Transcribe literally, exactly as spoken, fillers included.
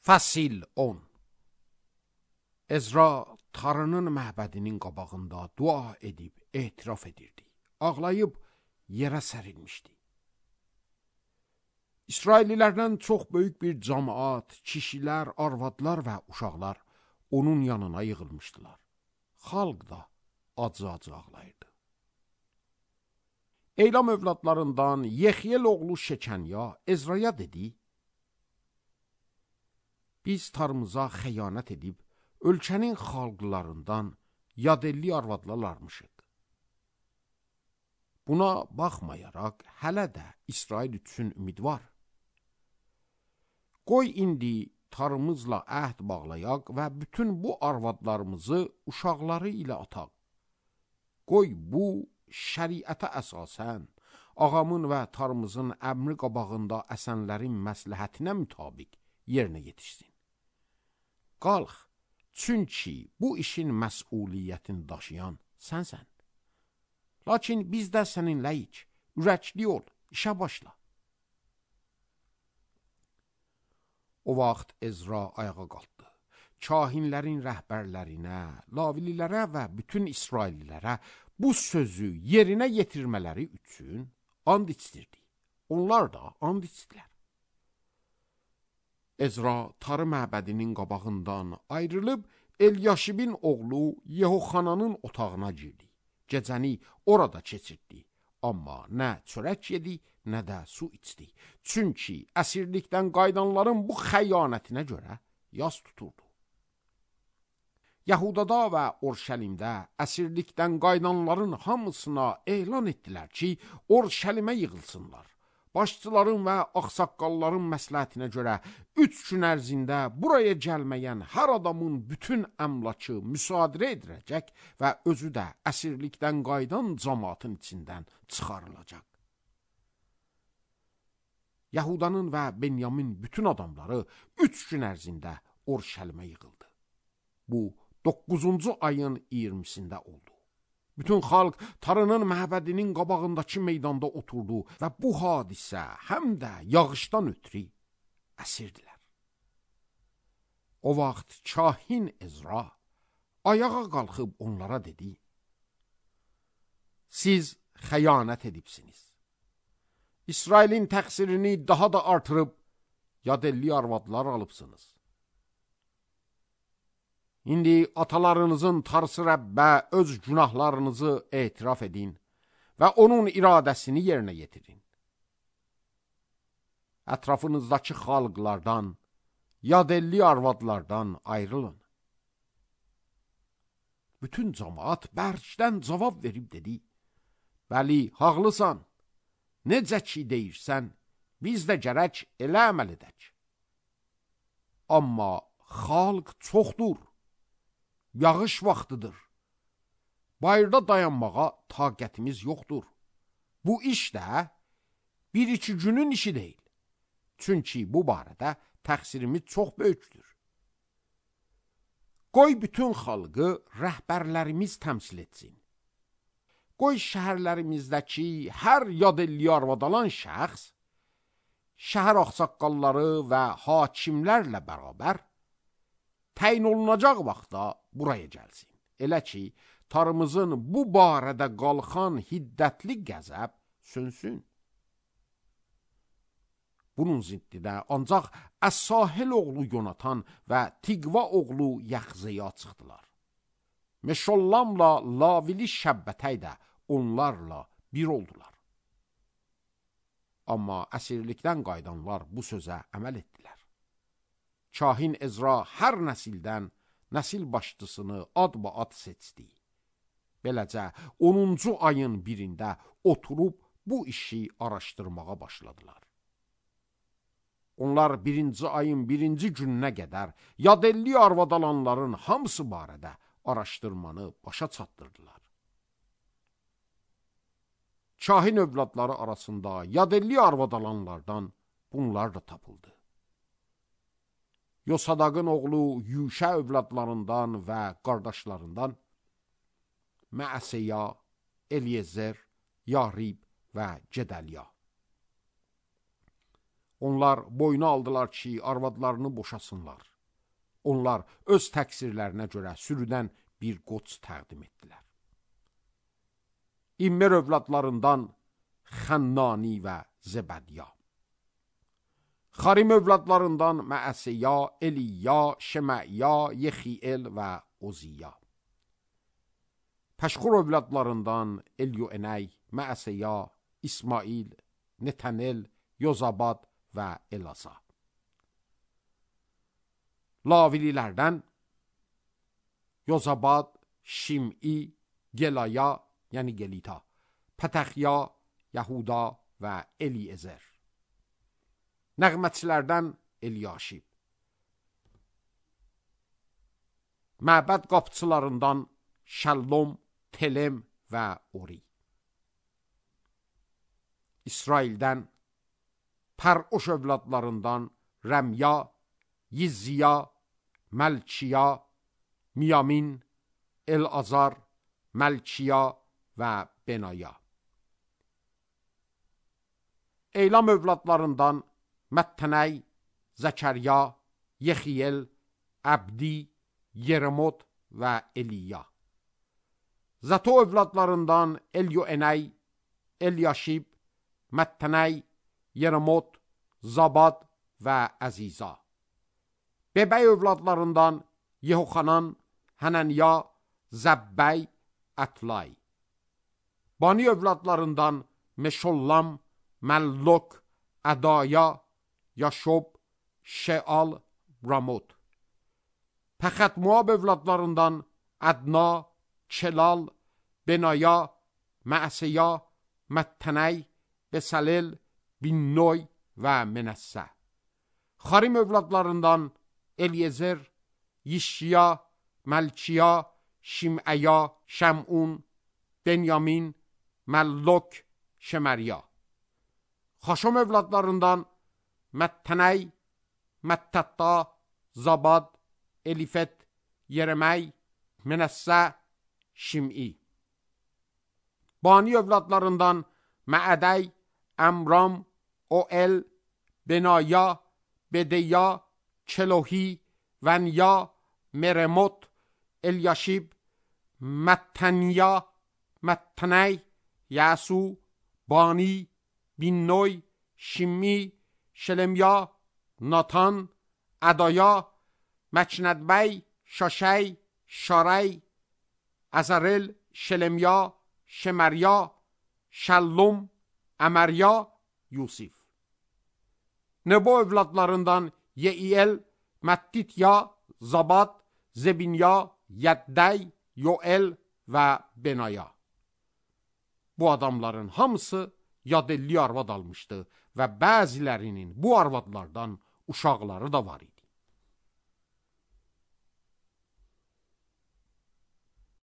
Fəsil on. Ezra Tanrının məbədinin qabağında dua edib etiraf edirdi. Ağlayıb yerə sərilmişdi. İsraillilərdən çox böyük bir cəmaət, kişilər, arvadlar və uşaqlar onun yanına yığılmışdılar. Xalq da acı-acı ağlayırdı. Eylam övladlarından Yexyel oğlu Şekanya Ezraya dedi: Biz Tanrımıza xəyanət edib, ölkənin xalqlarından yadelli arvadlarmışıq. Buna baxmayaraq, hələ də İsrail üçün ümid var. Qoy indi Tanrımızla əhd bağlayaq və bütün bu arvadlarımızı uşaqları ilə ataq. Qoy bu şəriətə əsasən, ağamın və Tanrımızın əmri qabağında əsənlərin məsləhətinə mütabiq yerinə yetişsin. Qalx, çünki bu işin məsuliyyətini daşıyan sənsən. Lakin biz də səninləyik, ürəkli ol, işə başla. O vaxt Ezra ayağa qalxdı. Kahinlərin rəhbərlərinə, lavililərə və bütün İsraillilərə bu sözü yerinə yetirmələri üçün and içdirdi. Onlar da and içdilər. Ezra Tanrı məbədinin qabağından ayrılıb Elyaşibin oğlu Yehoxananın otağına girdi. Gecəni orada keçirdi. Amma nə çörək yedi, nə də su içdi. Çünki əsirlikdən qayıdanların bu xəyanətinə görə yas tuturdu. Yahudada və Orşəlimdə əsirlikdən qayıdanların hamısına elan etdilər ki, Orşəlimə yığılsınlar. Başçıların və ağsaqqalların məsləhətinə görə üç gün ərzində buraya gəlməyən hər adamın bütün əmlakı müsadirə ediləcək və özü də əsirlikdən qayıdan cəmaatın içindən çıxarılacaq. Yahudanın və Benyamin bütün adamları üç gün ərzində Orşəlimə yığıldı. Bu, doqquzuncu ayın iyirmisində oldu. Bütün xalq Tanrının məbədinin qabağındakı meydanda oturdu və bu hadisə həm də yağışdan ötürü əsirdilər. O vaxt kahin Ezra ayağa qalxıb onlara dedi: Siz xəyanət edibsiniz. İsrailin təqsirini daha da artırıb yadelli arvadlar alıbsınız. İndi atalarınızın Tarsı Rəbbə öz günahlarınızı etiraf edin və onun iradəsini yerinə yetirin. Ətrafınızdakı xalqlardan, yadelli arvadlardan ayrılın. Bütün cəmaat bərkdən cavab verib dedi: Bəli, haqlısan. Necə ki deyirsən, biz də gərək elə əməl edək. Amma xalq çoxdur. Yağış vaxtıdır. Bayırda dayanmağa taqətimiz yoxdur. Bu iş də bir iki günün işi deyil. Çünki bu barədə təqsirimiz çox böyükdür. Qoy bütün xalqı rəhbərlərimiz təmsil etsin. Qoy şəhərlərimizdəki hər yadelli arvad alan şəxs, şəhər ağsaqqalları və hakimlərlə bərabər təyin olunacaq vaxtda buraya gəlsin. Elə ki, Tanrımızın bu barədə qalxan hiddətli qəzəb sönsün. Bunun ziddidə ancaq Əs-Sahel oğlu Yonatan və Tiqva oğlu Yaxzeya çıxdılar. Meşollamla Lavili Şəbbətəy də onlarla bir oldular. Amma əsirlikdən qayıdanlar bu sözə əməl etdilər. Kahin Ezra hər nəsildən nəsil başçısını adba-ad seçdi. Beləcə, onuncu ayın birində oturub bu işi araşdırmağa başladılar. Onlar birinci ayın birinci gününə qədər yadelli arvad alanların hamısı barədə araşdırmanı başa çatdırdılar. Kahin övladları arasında yadelli arvad alanlardan bunlar da tapıldı. Yosadaqın oğlu Yuşa övladlarından və qardaşlarından Məəseya, Eliezer, Yarib və Gedəliya. Onlar boyuna aldılar ki, arvadlarını boşasınlar. Onlar öz təqsirlərinə görə sürüdən bir qoç təqdim etdilər. İmmer övladlarından Xənnani və Zebədya. Xarim övladlarından Məəsiya, Eliya, Şeməya, Yexiel və Oziya. Pəşxur övladlarından Elyoenəy, Məəsiya, İsmail, Netanel, Yozabad və Elasa. Lavililərdən Yozabad, Şim'i, Gelaya, yəni Gelita, Pətəxya, Yahuda və Eliezer. Nəğmətçilərdən Elyaşib. Məbəd qapçılarından Şəllom, Telem və Ori. İsraildən Pər'oş övladlarından Rəmya, Yizziya, Məlkiya, Miyamin, El-Azar, Məlkiya və Benaya. Eylam övladlarından Məttənəy, Zəkərya, Yexiyel, Əbdi, Yeremot və Eliya. Zato övladlarından Elyoenəy, Elyaşib, Məttənəy, Yeremot, Zabad və Əziza. Bebəy övladlarından Yehoxanan, Hənənya, Zəbbəy, Ətlay. Bani övladlarından Meşollam, Məllok, Ədaya, Yaşob, Şeal, Ramot. Pəxət-Moab övladlarından Ədna, Çelal, Benaya, Məəsiya, Məttənəy, Besalel, Binnoy və Menəssə. Xarim övladlarından Eliezer, Yişya, Məlkiya, Şiməya, Şəmun, Benyamin, Məllok, Şemərya. Xaşom övladlarından Məttənəy, Məttətta, Zabad, Elifet, Yereməy, Menəssə, Şim'i. Bani övladlarından Məədəy, Əmram, O'el, Benaya, Bedeya, Çelohi, Vənya, Meremot, Elyaşib, Məttənya, Məttənəy, Yasu, Bani, Binnoy, Şimmi, Şelemya, Natan, Ədaya, Məknədbəy, Şaşəy, Şaray, Əzərel, Şelemya, Şemərya, Şəllum, Əmərya, Yusif. Nebo övladlarından Yeiyel, Məttitya, Zabad, Zebinya, Yəddəy, Yoel və Benaya. Bu adamların hamısı yadelli arvad almışdı və bəzilərinin bu arvadlardan uşaqları da var idi.